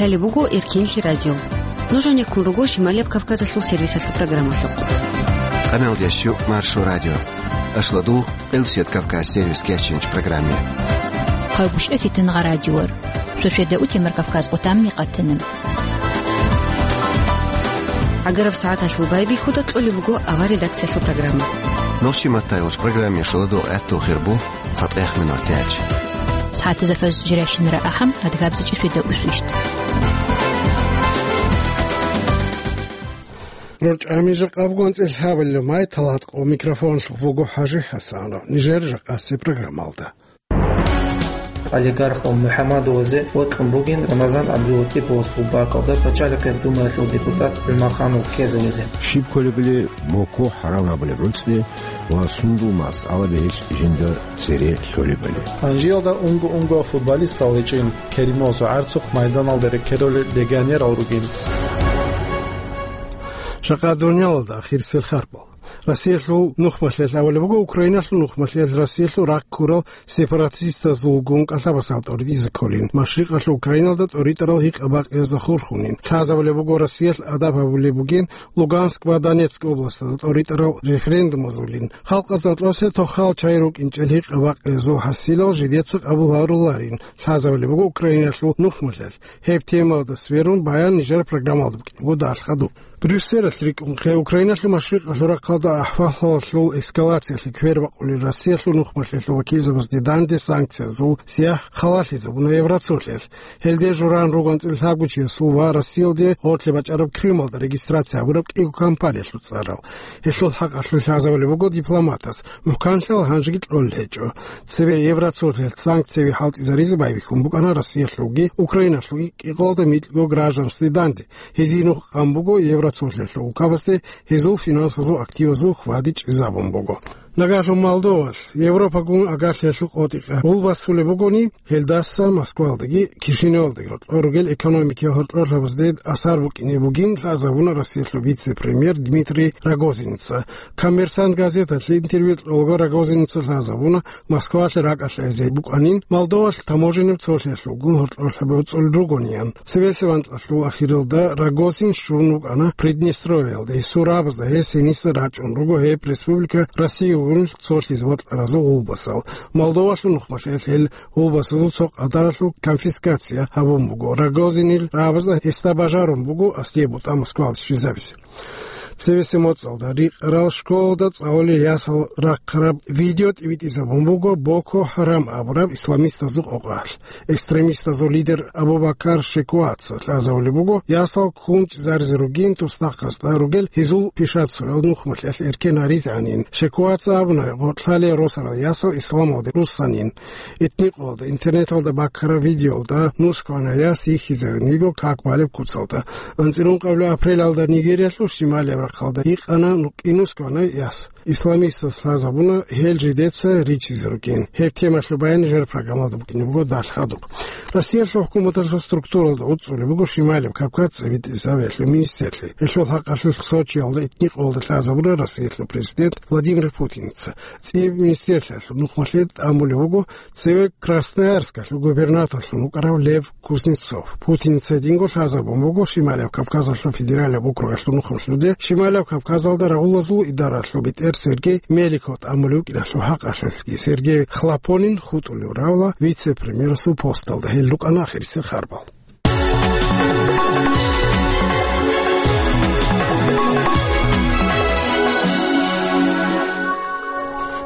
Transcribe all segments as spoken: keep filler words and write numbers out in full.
Лъалеб буго Эркенлъи радио. Нуж гьанеккун руго Шималияб Кавказалъул сервисалъул программалъухъ. Къаналдящу Маршо радио. Ашладугъ, Къилсият Кавказ сервис кечинч программе. Хъагушев Фитнагъа радиор. Шошеда утемар Кавказ къутамни къатана. ГӀагараб сагӀаталъул байбихьуда кьолеб буго авар редакциялъул программа. Нохчи матайвач программе шаладугъ гӀатту хирбу. ЦатӀех минут тяч. СагӀатазда фаз жирайщинара ахӀам, адгабзачӀи шведа усвищт. РорчӀами жакъаб гонцӀил гьабилла май талатӀ къо микрофонлъухъ вуго ХӀажи ХӀасанов. Нижер жакъасе программалда. Олигархал МухӀаммадовазе вокьун бугин Рамазан ГӀабдулатиповасул бакӀалда пачалихъе Думаялъул депутат ГӀумаханов ккезавизе. Щиб кколебали Боко хӀарам абулеб гӀуцӀи ва сундул масъала бегьилъ жинда цере лъолебали. Гьанжиялда унго-унго футболистал гьечӀин Керимов ГӀарцухъ майданалда рекеролел легионерал ругин. Жакъа дуниялалда ахирисел харпал. Россиялъул нухмалъиялъ абулеб буго, Украиналъул нухмалъиялъ Россиялъул рахъ ккурал сепаратистазулгун кӀалъабасал тӀоритӀизе кколин, машрикъалъул Украиналда тӀоритӀарал гьикъа-бакъиязда хурхунин. Лъазабулеб буго, Россиялъ адаб гьабулеб бугин Луганск ва Донецк областазда тӀоритӀарал референдумазулин. Халкъазда кьосе тохал чай рукӀинчӀел гьикъа-бакъиязул хӀасилал жидеца къабул гьаруларин. Лъазабулеб буго Украиналъул нухмалъиялъ. Гьеб темалда сверун баян нижер программалда букӀине буго далъ хадуб. Брюсселалъ рикӀкӀунхъе Украиналъул машрикъалъул рахъалда ахӀвалалъул эскалациялъе квербакъулел Россиялъул нухмалъиялъул вакилзабазде данде санкциязул сияхӀ халалъизабуна Евроцолъиялъ. Гьелде журан ругоан цӀилъабгучиясул ва Россиялде гъорлъе бачӀараб Крымалда регистрация гьабураб кӀиго компаниялъул цӀарал. Гьелъул хӀакъалъулъ лъазабулеб буго дипломатас, мухӀканлъал гьанжеги кьолел гьечӀо. Цебе Евроцолъиялъ санкцияби хӀалтӀизаризе байбихьун букӀана Россиялъулги Украиналъулги кӀикъоялда микьго гражданстве данде. Гьезие нух къан буго Евроцолъиялъул укабазде, гьезул финансазул активазул хьвади чӀезабун буго. Нагагьлъун Молдовалъ Европагун агарлъиялъул къотӀикъа гъулбасулеб бугони, гьелдаса Москвалдаги Кишиневалдаги гьоркьор ругел экономикиял гьоркьорлъабазде асар букӀине бугин лъазабуна Россиялъул вице-премьер Дмитрий Рогозинца. Коммерсант газеталъе интервью кьолаго Рогозинца лъазабуна, Москвалъе ракӀалъ гӀезей букӀанин, Молдовалъ таможеннаб цолъиялъулгун гьоркьорлъаби уцӀулел ругониян. Цебесеб анкьалъул ахиралда Рогозин щун вукӀана Приднестровьялда, гьесул рабазда гьес гьениса рачӀун руго гьеб республика Россиягун цолъизе бокьаразул гъулбасал. Молдовалъул нухмалъиялъ гьел гъулбасазул цо къадаралъул конфискация гьабун буго. Рогозинил рабазда гьесда бажарун буго аслие бутӀа Москвалде щвезабизе. Цебесеб моцӀалда рикъарал школалда цӀалулел ясал рахъараб видео тӀибитӀизабун буго Боко ХӀарам абураб исламистазул къокъалъ. Экстремистазул лидер Абу-Бакар Шекуаца лъазабулеб буго, ясал ккун чӀезаризе ругин, туснахъасда ругел гьезул пишацоял нухмалъиялъ эркен гьаризе гӀанин. Шекуаца абуна, гъоркьлъалие росарал ясал исламалде руссанин. Этникъоялда интернеталда баккараб видеоялда нусгоана яс йихьизавин йиго как балеб куцалда. АнцӀила ункъабилеб апрелалда Нигериялъул шималияб рахъалда гьикъана нукъи нусгоана яс. Исламистаз лъазабуна гьел жидеца ричизе ругин. Гьеб темалъул баян нижер программалда букӀине буго далъ хадуб. Россиялъул хӀукуматалъул структуралда уцӀцӀулеб буго Шималияб Кавказ цӀибитӀизабиялъул министрлъи. Гьелъул хӀакъалъулъ Сочиялда этникъоялда лъазабуна Россиялъул президент Владимир Путинца. ЦӀиб министрлъиялъул нухмалъе тӀамулев вуго цеве Красноярскалъул губернаторлъун вукӀарав Лев Кузнецов. Путинца гьединго лъазабун буго Шималияб Кавказалъул федералияб округалъул нухмалъуде Шималияб Кавказалда рагъулазул идаралъул бетӀер Сергей Меликов тӀамулев вукӀиналъул хӀакъалъулъги. Сергей Хлопонин хутӀулев равла вице-премьерасул посталда. Гьел рукӀана ахирисел харбал.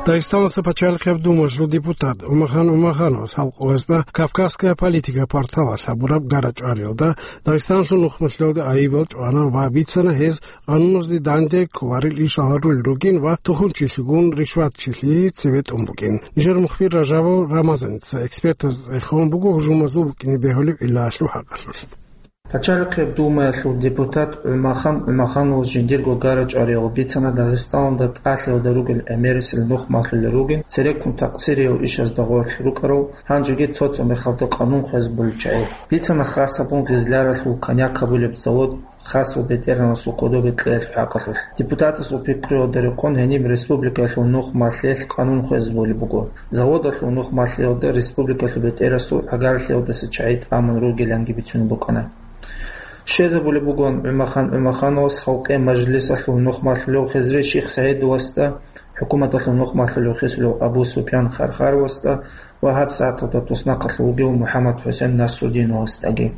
Дагъистаналъул пачалихъияб думалъул депутат Умахан Умахановас халкъалъулъ «Кавказская политика» порталалъ гьабураб гара-чӀвариялда Дагъистаналъул нухмалъиялда айибал чӀвана ва бицана гьез къануназде данде кколарел ишал гьарулел ругин ва тухумчилъигун ришватчилъи цебетӀун бугин. Нижер мухбир Ражабов Рамазаница экспертаз цӀехун буго гьужумазул букӀине бегьулеб гӀиллаялъул хӀакъалъулъ. Пачалихъияб Думаялъул депутат ГӀумахан ГӀумахановас жиндирго гара-чӀвариялда бицана Дагъистаналда тӀалъиялда ругел гӀемерисел нухмалъулел ругин, цереккун такъсириял ишазда гъорлъ рукӀарал, гьанжеги цо-цо мехалда къанун хвезабулел чагӀи. Бицана хасабун Гъизляралъул коньяк гьабулеб завод хасав бетӀергьанасул кодобе кьеялъул хӀакъалъулъ. Депутатасул пикруялда рекъон гьениб республикаялъул нухмалъиялъ къанун хвезабулеб буго. Заводалъул нухмалъиялда республикалъул бетӀерасул гӀагарлъиялдаса чагӀи тӀамун ругеланги бицунеб букӀана. Щвезабулеб бугоан ГӀумахан ГӀумахановас халкъе мажлисалъул нухмалъулев Хизри Ших СагӀидовасда, хӀукуматалъул нухмалъулев хисулев Абу Супян Хархаровасда ва гьабсагӀаталда туснахъалъув вугев МухӀаммад-ХӀусен Насрудиновасдаги.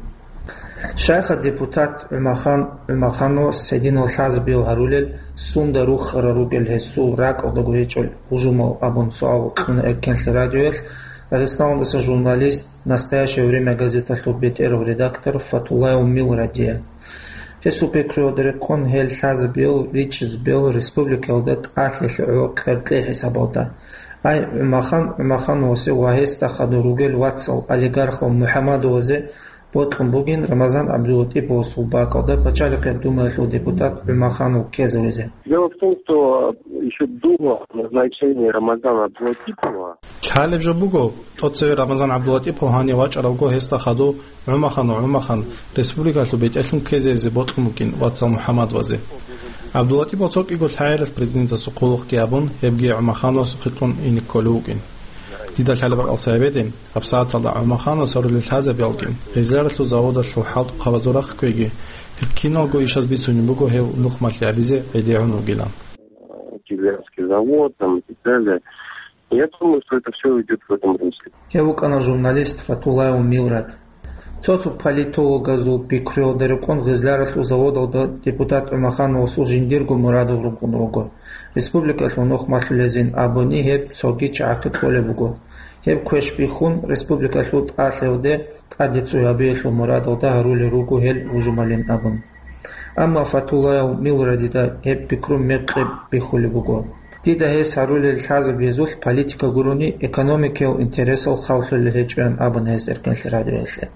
Щайха депутат ГӀумахан ГӀумахановас гьединал лъазабиял гьарулел, сунда рухарал ругел гьесул ракӀалдаго гьечӀел гьужумал абун суал кьуна Эркенлъи радиоялъ Дагъистаналдаса журналист, «Настоящее время» газеталъул бетӀерав редактор Фатуллаев Милрадие. Гьесул пикруялда рекъон гьел лъазабиял ричӀчӀизабиял республикаялда тӀалъи-лъугӀо къеркьей хӀисабалда. Ай, ГӀумахан ГӀумахановасе ва гьесда хадур ругел вацал олигархал МухӀаммадовазе бокьун бугин Рамазан ГӀабдулатӀиповасул бакӀалда Пачалихъеб Думаялъул депутат ГӀумаханов ккезавизе. Дело в том, что ещё до назначения Рамазана Абдулатипова Лъалеб жо буго, тӀоцеве Рамазан ГӀабдулатӀипов гьанив вачӀаравго гьесда хадув ГӀумаханов ГӀумахан республикалъул бетӀерлъун ккезевизе бокьун букӀин вацал МухӀаммадовазе. ГӀабдулатӀипов цо кӀиго лъагӀалилъ президентасул хъулухъги абун, гьебги ГӀумахановасухъе кьун ине кколев вукӀин. Дида лъалеб бакӀалда гьабеги, гьабсагӀаталда ГӀумахановас гьарулел лъазабиялги, гъезларалъул заводалъул хӀалтӀухъабазул рахъ кквеги, гьеб киналго ишаз бицунеб буго гьев нухмалъи гьабизе гӀедегӀун вугилан. Кизлярский завод, там, и так далее. Я думаю, что это всё идёт в этом русле. Гьев вукӀана журналист Фатуллаев Милрад. Цо-цо политологазул пикруялда рекъон гъезларалъул заводалда депутат ГӀумахановасул жиндирго мурадал рукӀун руго. Республикалъул нухмалъулезин абуни гьеб цоги чагӀахъе кколеб буго. Гьеб квеш бихьун, республикалъул тӀалъиялде тӀаде цӀуй гьабиялъул мурадалда гьарулел руго гьел гьужумалин абун. Амма Фатуллаев Милрадида гьеб пикру мекъи бихьулеб буго. Дида гьес гьарулел лъазабиязулъ политика гурони, экономикиял интересал халлъулел гьечӀоян абуна гьес Эркенлъи радиоялъе.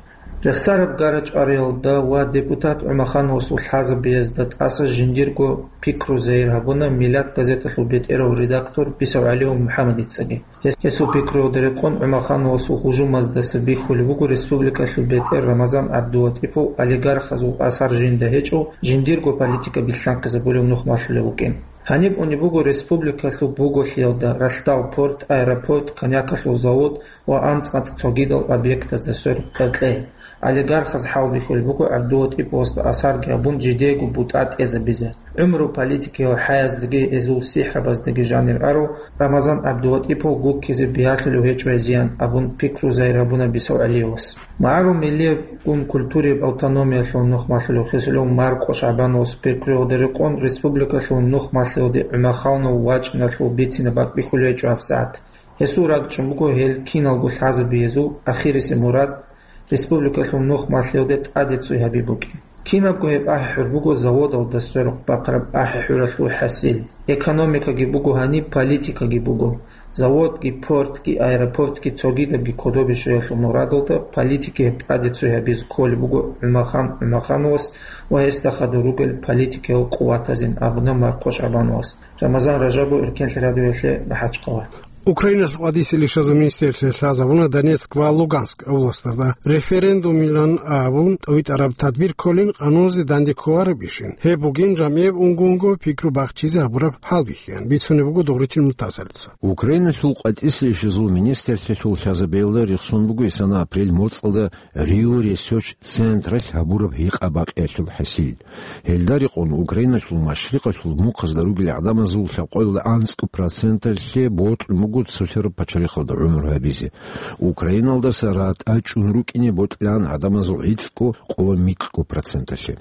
Рехсараб гара-чӀвариялда ва депутат ГӀумахановасул лъазабиязда тӀаса жиндирго пикру загьир гьабуна Миллат газеталъул бетӀерав редактор БисавгӀалиев МухӀаммадицаги. Гьес-, гьесул пикруялда рекъон ГӀумахановасул гьужумаздаса бихьулеб буго республикалъул бетӀер Рамазан ГӀабдулатӀипов олигархазул асар жинда гьечӀев, жиндирго политика билълъанхъизабулев нухмалъулев вукӀин. Гьаниб унеб буго республикалъул буголъиялда ралъдал порт, аэропорт, коньякалъул завод ва анцӀ-анцӀ цогидал объектазда сверухъ къеркьей. Олигархаз хӀалбихьулеб буго ГӀабдулатӀиповасда асарги гьабун жидеего бутӀа тӀезабизе. ГӀумру политикиял хӀаяздаги гьезул сихӀрабаздаги жанир арав Рамазан ГӀабдулатӀипов гуккизе биялъулев гьечӀо гьезиян абун пикру загьир гьабуна БисавгӀалиевас. МагӀарул миллияб гун культурияб автономиялъул нухмалъулев хисулев Маркъо ШагӀбановас пикруялда рекъон республикалъул нухмалъиялде ГӀумахановул вачӀиналъул бицине бакӀбихьулев гьечӀо гьабсагӀат. Гьесул ракӀчӀун буго гьел киналго лъазабиязул ахирисеб мурад, республикалъул нухмалъиялде тӀаде цӀуй гьаби букӀин. Кинабго гьеб ахӀи-хӀур буго заводалда сверухъ бахъараб ахӀи-хӀуралъул хӀасил. Экономикаги буго гьаниб, политикаги буго. Заводги, портги, аэропортги цогидабги кодобе щвеялъул мурадалда политики гьеб тӀаде цӀуй гьабизе кколеб буго ГӀумахан ГӀумахановас ва гьесда хадур ругел политикиял къуватазин абуна Маркъо ШагӀбановас. Рамазан Ражабов, Эркенлъи радиоялъе, МахӀачхъала. Украиналъул къватӀисел ишазул министрлъи лъазабуна Донецк ва Луганск областазда референдумилан абун тӀовитӀараб тадбир кколин къануназе данде кколаребищин. Гьеб бугин жамгӀияб унго-унго пикру бахчизе гьабураб хӀалбихьиян бицунеб буго Дугъричил Мутасалица. Украиналъул къватӀисел ишазул министрлъиялъул лъазабиялда рехсон буго исана апрель моцӀалда Рио Ресерч Централъ гьабураб гьикъа-бакъиялъул хӀасил. Гьелда рекъон Украиналъул машрикъалъул мухъазда ругел гӀадамазул лъабкъоялда анцӀго проценталъе бокьун буго цолъараб пачалихъалда гӀумру гьабизе. Украиналдаса ратӀа чӀун рукӀине бокьилаан гӀадамазул гӀицӀго къо микьго проценталъе.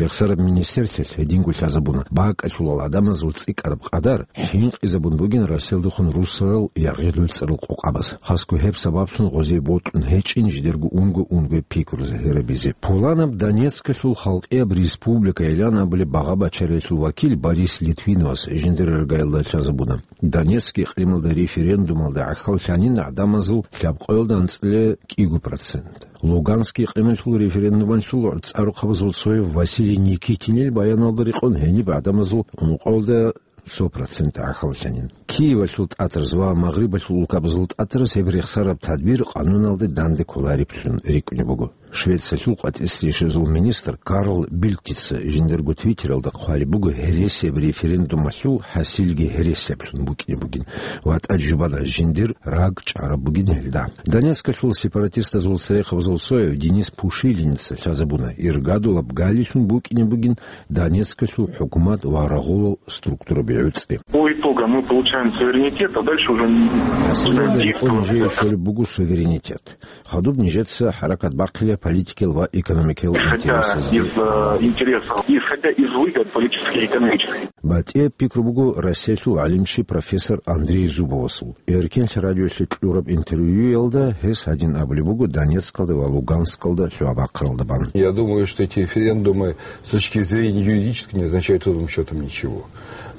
Рехсараб министрлъиялъ гьединго лъазабуна, бакӀалъулал гӀадамазул цӀикӀкӀараб къадар хӀинкъизабун бугин Россиялдехун русарал яргъи-луцӀарал къокъабаз. Хасго гьеб сабаблъун гъозие бокьун гьечӀин жидерго унго-унго пикру загьирабизе. Пуланаб Донецкалъул халкъияб республикайилан абулеб багъа-бачариялъул вакил Борис Литвиновас жиндир иргаялда лъазабуна. Донецк икърималда референдумалда гӀахьаллъанин гӀадамазул лъабкъоялда анцӀила кӀиго процент. Луганск икърималъул референдумалъул цӀарухъабазул цояв Василий Никитинил баяналда рекъон гьениб гӀадамазул ункъоялда цо процент гӀахьаллъанин. Киевалъул тӀатараз ва Магърибалъул улкабазул тӀатараз гьеб рехсараб тадбир къануналде данде кколареблъун рикӀкӀунеб буго. Швециялъул къватӀислъи рещтӀинабазул министр Карл Бильдтица жиндирго твиттералда хъвалеб буго гьересияб референдумалъул хӀасилги гьересиаблъун букӀине бугин ва тӀаде жубана жиндир рагъ чӀараб бугин гьелда. Донецкалъул сепаратистазул церехъабазул цояв Денис Пушилинца лъазабуна, иргадулаб галилъун букӀине бугин Донецкалъул хӀукумат ва рагъулал структураби гӀуцӀи. По итогам мы получаем суверенитет, а дальше уже не... ХӀасилалда гьикъун нижее щолеб буго суверенитет. Хадуб нижеца хӀаракат бахъила политикиял ва экономикиял... Хотя интересазде из, э, интересов, исходя из выгод политических и экономических. БатӀияб пикру буго Россиялъул гӀалимчи профессор Андрей Зубовасул. Эркенлъи радиоялъе кьураб интервьюялда гьес гьадин абулеб буго Донецкалда ва Луганскалда лъугӀа-бахъаралда бан. Я думаю, что эти референдумы с точки зрения юридической не означают ровным счётом ничего.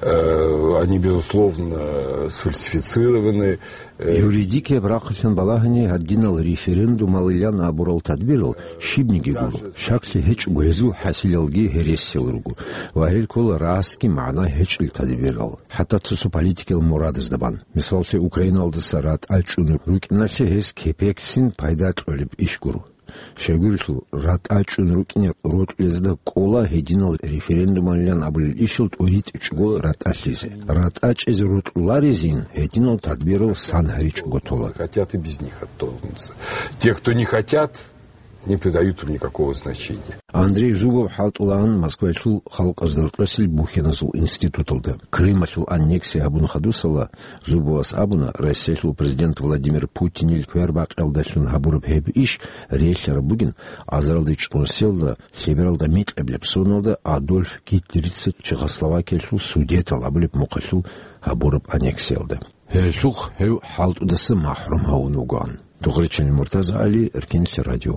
Э, они, безусловно, сфальсифицированы. Э, юридикияб рахъалъан балагьани, гьадинал референдумалилан абурал тадбирал щибниги гуро, щаклъи гьечӀого гьезул хӀасилалги гьересиял руго ва гьел ккола расги магӀна гьечӀел тадбирал, хӀатта цо-цо политикиял мурадазда бан. Мисаллъе, Украиналдаса ратӀа чӀун рукӀиналъе гьез кепексин пайда кьолеб иш гуро. Щайгурелъул, ратӀа чӀун рукӀине рокьулезда кӀола гьединал референдумалилан абулел ишал тӀуритӀичӀого ратӀа лъезе. РатӀа чӀезе рокьуларезин гьединал тадбирал сан гьаричӀого тола. Хотят и без них оттолкнуться. Те, кто не хотят, не придают им никакого значения. Андрей Зубов хӀалтӀулаан Москваялъул халкъазда рокьосел бухьаназул институталда. Крымалъул аннексия гьабун хадусала, Зубовас абуна, Россиялъул президент Владимир Путинил квербакъиялдалъун гьабураб гьеб иш релълъараб бугин азаралда чӀунсиялда, лъебералда микьабилеб соналда Адольф Гитлерица Чехословакиялъул Судетал абулеб мухъалъул гьабураб аннексиялда. Гьелъухъ гьев хӀалтӀудаса махӀрум гьавун вугоан. Дугъричилин Муртаза Али, Эркенлъи радио.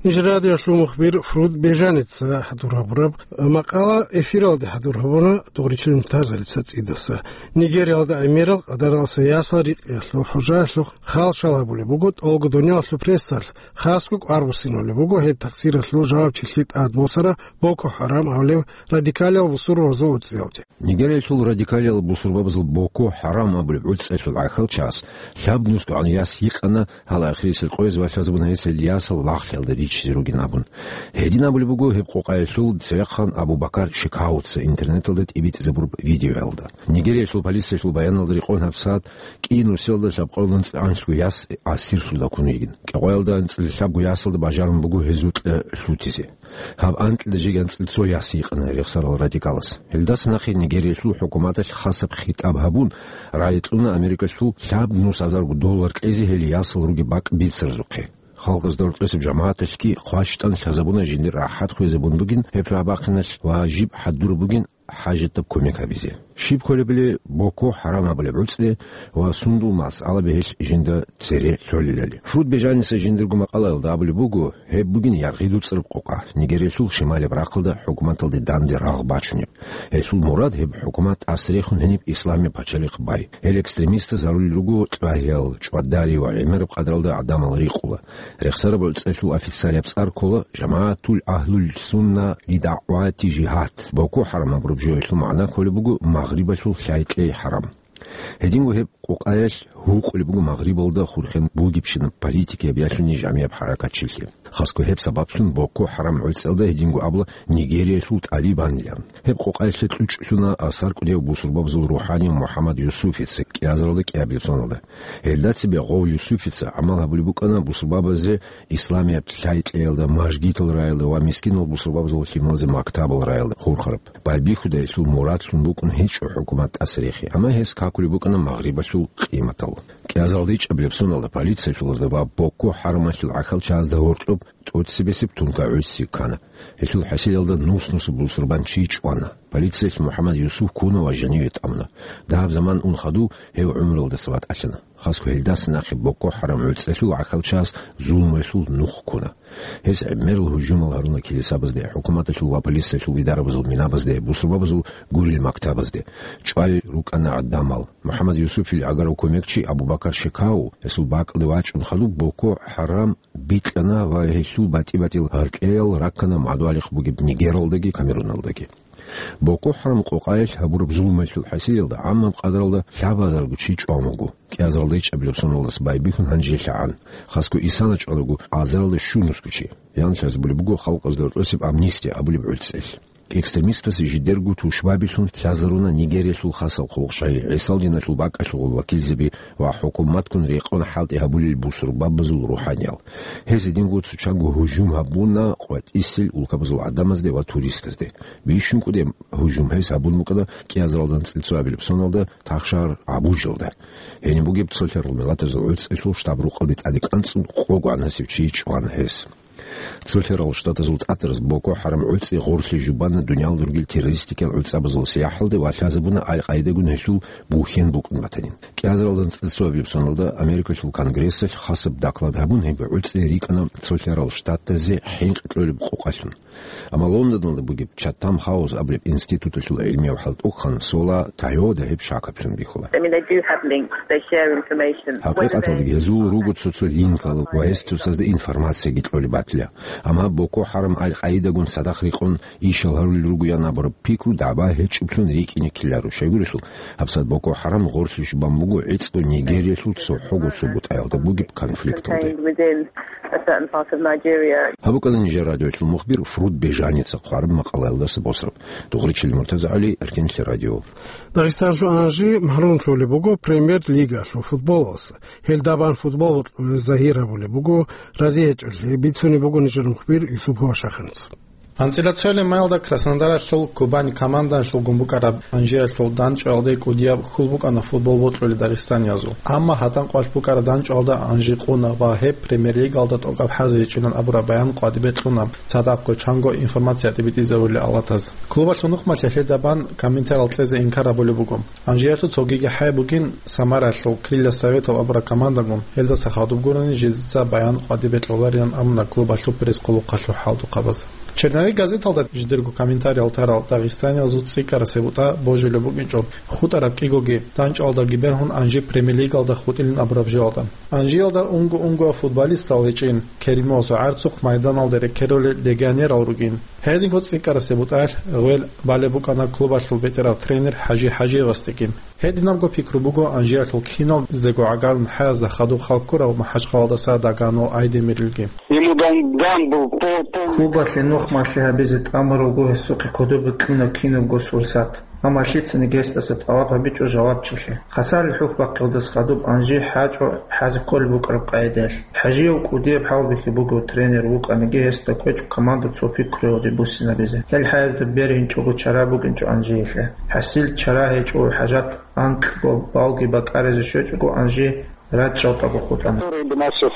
Ниж радиолъул мухбир Фруд Бежаница хӀадур гьабураб макъала эфиралде хӀадур гьабуна Дугъричилин Муртазалица цӀидаса. Нигериялда гӀемерал къадаралъа ясал рикъиялъул хӀужаялъухъ халшал гьабулеб буго тӀолго дуниялалъул прессалъ, хасго кӀвар буссинулеб буго гьеб такъсиралъул жавабчилъи тӀадбосарал Боко Харам абулеб радикалиял бусурбабазул уцӀцӀиялде. Нигериялъул радикалиял бусурбабазул Боко Харам абулеб гӀуцӀиялъул гӀахьалчагьас лъабнусгогӀан яс гьикъана, гьал ахирисел къояз валъазабуна гьес гьел ясал лагълъиялда ричизе ругин абун. Гьедин абулеб буго гьеб къокъаялъул цевехъан Абу-Бакар Шекауца интернеталда тӀибитӀизабураб видеоялда. Нигериялъул полициялъул баяналда рекъон гьабсагӀат кӀиго нусиялда лъабкъоялда анцӀила анлъго яс асирлъун ккун йигин. КӀикъоялда анцӀила лъабго ясалда бажарун буго гьезул кьа лъутизе. Гьаб анкьида жеги анцӀила цо яс гьикъана рехсарал радикалас. Гьелдаса нахъе Нигериялъул хӀукуматалъ хасаб хитӀаб гьабун, рагӀи кьуна Америкалъул лъабнус гьазарго доллар кьезе гьел ясал ругеб бакӀ бицаразухъе. Халкъазда рокьосеб жамагӀаталъги хъващтӀан лъазабуна жиндир рахӀат хвезабун бугин гьеб лъугӀа-бахъиналъ ва жиб хӀадураб бугин хӀажатаб кумек гьабизе. Щиб кколебали Боко Харам абулеб гӀуцӀи ва сундул масъалаби гьелъ жинда цере лъолелали. Фруд Бежаниса жиндирго макъалаялда абулеб буго, гьеб бугин яргъи дуцӀараб къокъа, Нигериялъул шималияб рахъалда хӀукуматалде данде рагъ бачунеб. Гьелъул мурад гьеб хӀукумат тӀасрехун гьениб исламияб пачалихъ бай. Гьел экстремистаз гьарулел руго кьвагьиял, чӀвадари ва гӀемераб къадралда гӀадамал рикъула. Рехсараб гӀуцӀиялъул официалияб цӀар ккола ЖамагӀатул Агьлул Сунна ли ДагӀвати ЖигьадӀ. Боко Харам абураб жоялъул магӀна кколеб буго Магърибалъул лъай-кьей хӀарам. Гьединго гьеб къокъаялъ гьукъулеб буго Магърибалда хурхен бугебщинаб политикияб ялъуни жамияб хӀаракатчилъи. Хасго гьеб сабаблъун Боко Харам гӀуцӀиялда гьединго абула Нигериялъул ТӀалибанилан. Гьеб къокъаялъе кьучӀлъуна асар кӀудияв бусурбабазул рухӀани МухӀаммад Юсуфица кӀиазаралда кӀиабилеб соналда. Гьелда цебе гъов Юсуфица гӀамал гьабулеб букӀана бусурбабазе исламияб лъай-кьеялда, мажгитал раялда ва мискинал бусурбабазул лъималазе мактабал раялда хурхараб. Байбихьуда гьелъул мурадлъун букӀун гьечӀо хӀукумат тӀасрехи, амма гьес какулеб букӀана Магърибалъул къиматал. КӀиазаралда ичӀабилеб соналда полициялъулазда ва Боко Харамалъул гӀахьалчагьазда гьоркьоб тӀоцебесеб тункагӀуси ккана. Гьелъул хӀасилалда нус-нусаб бусурбанчи чӀвана. Полициялъ МухӀаммад Юсуф ккуна ва жаниве тӀамуна. Дагьаб заман ун хадув гьев гӀумруялдаса ватӀалъана. Хасго гьелдаса нахъе Боко Харам гӀуцӀиялъул гӀахьалчагьас зулмуялъул нух ккуна. Гьес гӀемерал гьужумал гьаруна килисабазде, хӀукуматалъул ва полициялъул идарабазул минабазде, бусурбабазул гурил мактабазде. ЧӀвай рукӀана гӀадамал. МухӀаммад Юсуфил гӀагарав кумекчи Абу-Бакар Шекау гьесул бакӀалде вачӀун хадуб Боко Харам бикьана ва гьелъул батӀи-батӀиял гьаркьеял раккана мадугьалихъ бугеб Нигералдаги Камеруналдаги. Боко ХӀарам къокъаялъ гьабураб зулмалъул хӀасилалда гӀаммаб къадралда лъабазарго чи чӀван вуго. КӀиазаралда гьечӀабилеб соналдаса байбихьун гьанжелъагӀан. Хасго исана чӀванаго азаралда щунусго чи. Янлъазабулеб буго халкъазда рекъосеб амнистия абулеб гӀуцӀел. Экстремистасе жидерго тушбабилъун лъазаруна Нигериялъул хасал хъулухъчагьи, ГӀисал диналъул бакӀалъулгъул вакилзаби ва хӀукуматгун рекъон хӀалтӀи гьабулел бусурбабазул рухӀаниял. Гьез гьединго цо чанго гьужум гьабуна къватӀисел улкабазул гӀадамазде ва туристазде. БищункӀуде гьужум гьез гьабун букӀана кӀиазаралда анцӀила цоабилеб соналда тахшагьар Абужалда. Гьениб бугеб цолъарал миллатазул гӀуцӀелъул штаб-рукъалде тӀаде кӀанцӀун къогогӀан гьасив чи чӀвана гьес. Цолъарал Штатазул тӀатараз Боко ХӀарам гӀуцӀи гъорлъе жубана дуниялалда ругел террористикиял гӀуцӀабазул сияхӀалде ва лъазабуна Аль-Къаидагун гьелъул бухьен букӀун батанин. КӀиазаралда анцӀила цоабилеб соналда Америкалъул Конгрессалъ хасаб доклад гьабун, гьеб гӀуцӀи рикӀкӀана Цолъарал Штатазе хӀинкъи кьолеб къокъалъун. Амма Лондоналда бугеб Чатам Хаус абулеб институталъул гӀилмияв хӀалтӀухъан Сола Тайода гьеб шакаблъун бихьула. I mean, they do have links, they share information. ХӀакъикъаталдаги гьезул руго цо-цо линкал ва гьес цоцазда информацияги кьолеб батила. Амма Боко ХӀарам Аль-Къаидагун цадахъ рекъон ишал гьарулел ругоян абураб пикру дагӀба гьечӀеблъун рикӀкӀине ккеларо. Щайгурелъул, гьабсагӀат Боко ХӀарам гъорлъе щубан буго гӀицӀго Нигериялъул цохӀого цо бутӀаялда бугеб конфликталде. Contained within a certain part of Nigeria. Гьаб букӀана нижер радиоялъул мухбир Фруд Бежаница хъвараб макъалаялдаса босраб. Дугъричил МуртазагӀали, Эркенлъи радио. Дагъистанлъул Анжи магӀрурун лъолеб буго Премьер-лигалъул футболалдаса. Гьелда бан футбол бокьулел загьир гьабулеб буго, рази гьечӀолъи бицунеб буго нижер мухбир Юсупова Шаханица. АнцӀила цоялъ маялда Краснодаралъул Кубань командаялъулгун букӀараб Анжиялъул дандчӀваялде кӀудияб хьул букӀана футбол бокьулел дагъистаниязул. Амма гьатӀан къвалъ букӀараб дандчӀваялда Анжи къуна ва гьеб Премьер-лигалда тӀокӀаб хӀазе гьечӀилан абураб баян къватӀибе кьуна цадахъго чанго информация тӀибитӀизабулел авлатаз. Клубалъул нухмалъ гьелда бан комментариял кьезе инкар гьабулеб буго. Анжиялъул цогиги хӀай бугин Самаралъул Крылья Советов абураб командагун, гьелдаса хадуб гурони жидеца баян къватӀибе кьоларилан абуна клубалъул пресс-хъулухъалъул хӀалтӀухъабаз. Черновик газеталда жидерго комментариял тарал дагъистаниязул цӀикӀкӀарасеб бутӀа божулеб букӀинчӀо, хутӀараб кӀигоги дандчӀваялдаги бергьун Анжи Премьер-лигалда хутӀилин абураб жоялда. Анжиялда унго-унгоял футболистал гьечӀин, Керимовасул гӀарцухъ майданалде рекерулел легионерал ругин. Гьединго цӀикӀкӀарасеб бутӀаялъ гъвел балеб букӀана клубалъул бетӀерав тренер ХӀажи ХӀажиевасдеги. Гьединабго пикру буго Анжиялъул киналдего гӀагарун хӀаязда хадуб хал ккурав МахӀачхъалалдаса Дагано Айдемирилги. Ему дан, дан был по, по. Клубалъе нухмалъи гьабизе тӀамуралго гьесухъе кодобе кьуна кинабго сурсат. Амма лъицаниги гьесдаса тӀалаб гьабичӀо жавабчилъи. Хасалил хӀухь бахъиялдаса хадуб Анжи хӀачӀо хӀазе кколеб букӀараб къагӀидаялъ. ХӀажияв кӀудияб хӀалбихьи буго, тренер вукӀаниги гьесда ккечӀо команда цо пикруялде буссинабизе. Гьел хӀаязда бергьинчӀого чара букӀинчӀо Анжиялъе. ХӀасил чара гьечӀо, хӀажат анкьго балги бакӀаризе щвечӀого Анжи рачӀчӀалдего хутӀана. Который бы нас сейчас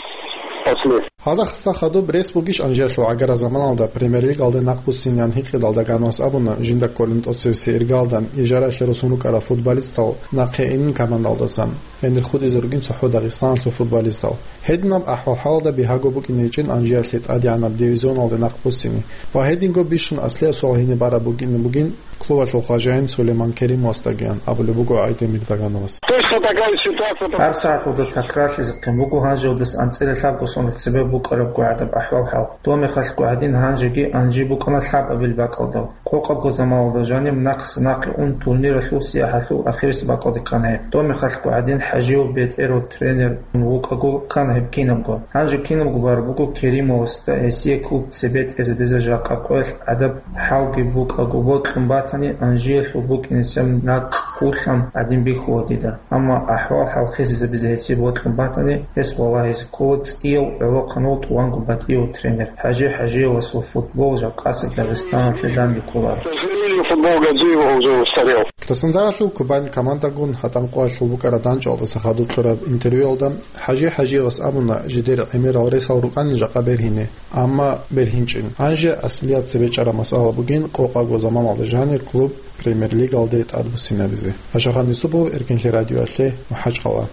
спасли. Гьалда хасда хадуб рес бугищ Анжиялъул гӀагарал заманалда Премьер-лигалде нахъ буссинеян гьикъидал Дагановас абуна жинда кколин тӀоцевесеб иргалда ижараялъе росун рукӀарал футболистал нахъе инин командалдасан. Гьенир хутӀизе ругин цохӀо Дагъистаналъул футболистал. Гьединаб ахӀвал-хӀалалда бигьаго букӀине гьечӀин Анжиялъе тӀадегӀанаб дивизионалде нахъ буссине ва гьединго бищун аслияб суал гьине бараб бугин бугин клубалъул хважаин Сулейман Керимовасдагиян абулеб буго Айдемир Дагановас. Точно такая ситуация. ГьабсагӀаталда такрарлъизехъин буго гьанжеялдаса анцӀила лъабго соналъ цебе букӀарабго гӀадаб ахӀвал-хӀал. Доб мехалъго гӀадин гьанжеги Анжи букӀана лъабабил бакӀалда. Къокъабго заманалда жаниб нахъса-нахъе ун турниралъул сияхӀалъул ахирисеб бакӀалде ккана гьеб. Доб мехалъго гӀадин ХӀажияв бетӀерав тренер вукӀаго ккана гьеб кинабго. Гьанже кинабго бараб буго Керимовасда гьесие клуб цебетӀезабизе жакъа къоялъ гӀадаб хӀалги букӀаго бокьун батани, Анжиялъул букӀинесеб накъ ккулъан гӀадин бихьула дида. Амма ахӀвал-хӀал хисизабизе гьесие бокьун батани, гьес валагьизе ккола цӀияв гӀолохъанав тӀуванго батӀияв тренер. ХӀажи ХӀажиевасул футбол жакъасеб Дагъистаналъе данде кколаро. К сожалению, футбол Гаджиева уже устарел. Краснодаралъул Кубань командагун гьатӀан къоялъул букӀараб дандчӀвалдаса хадуб кьураб интервьюялда ХӀажи ХӀажиевас абуна, жидер гӀемерал ресал рукӀанин жакъа бергьине, амма бергьинчӀин. Гьанже аслияб цебе чӀараб масъала бугин къокъабго заманалда жанир клуб Премьер-лигалде тӀадбуссинабизе. Ашахан Юсупов, Эркенлъи радиоялъе, МахӀачхъала.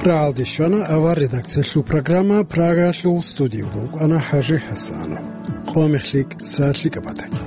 Рагьалде щвана авар редакциялъул программа. Прагаялъул студиялда вукӀана ХӀажи ХӀасанов. Къо мехлъи, са лъикӀаб батаги.